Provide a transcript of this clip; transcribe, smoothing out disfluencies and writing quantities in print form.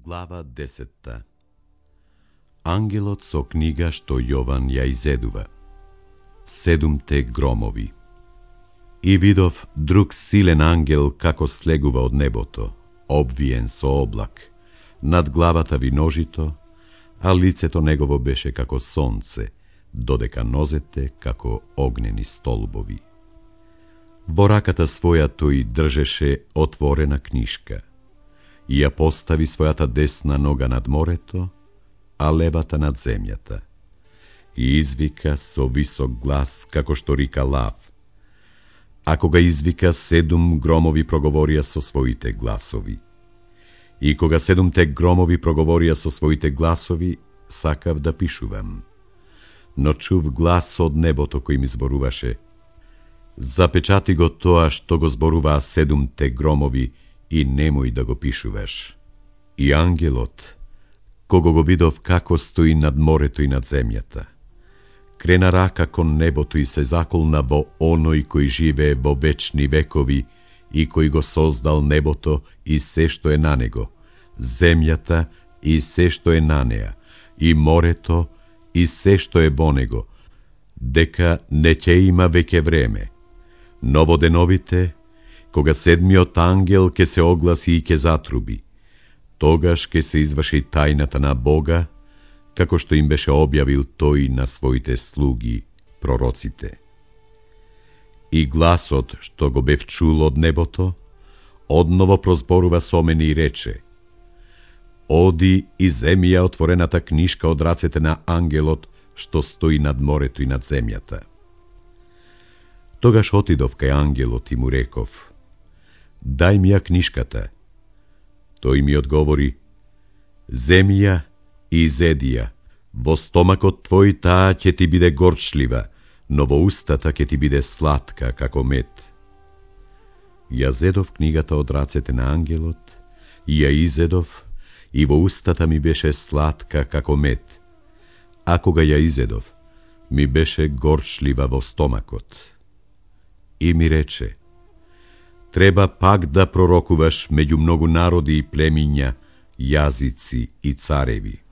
Глава 10. Ангелот со книга што Јован ја изедува. 7 громови. И видов друг силен ангел како слегува од небото, обвиен со облак, над главата виножито, а лицето негово беше како сонце, додека нозете како огнени столбови. Во раката своја тој држеше отворена книшка и ја постави својата десна нога над морето, а левата над земјата. И извика со висок глас, како што рика лав. А кога извика, 7 громови проговорија со своите гласови. И кога 7 громови проговорија со своите гласови, сакав да пишувам. Но чув глас од небото кој ми зборуваше: запечати го тоа што го зборуваа 7 громови и немој да го пишуваш. И ангелот, кого го видов како стои над морето и над земјата, крена рака кон небото и се заколна во оној кој живее во вечни векови и кој го создал небото и се што е на него, земјата и се што е на неа, и морето и се што е во него, дека не ќе има веќе време. Но во деновите, кога 7 ангел ќе се огласи и ќе затруби, тогаш ќе се изврши тајната на Бога, како што им беше објавил тој на своите слуги, пророците. И гласот, што го бев чул од небото, одново прозборува со мене и рече: оди и земи ја отворената книшка од рацете на ангелот што стои над морето и над земјата. Тогаш отидов кај ангелот и му реков: дај ми ја книшката. Тој ми одговори: земи ја и изеди ја, во стомакот твој таа ќе ти биде горчлива, но во устата ќе ти биде сладка како мед. Ја зедов книгата од рацете на ангелот и ја изедов, и во устата ми беше сладка како мед, а кога ја изедов, ми беше горчлива во стомакот. И ми рече: треба пак да пророкуваш меѓу многу народи и племиња, јазици и цареви.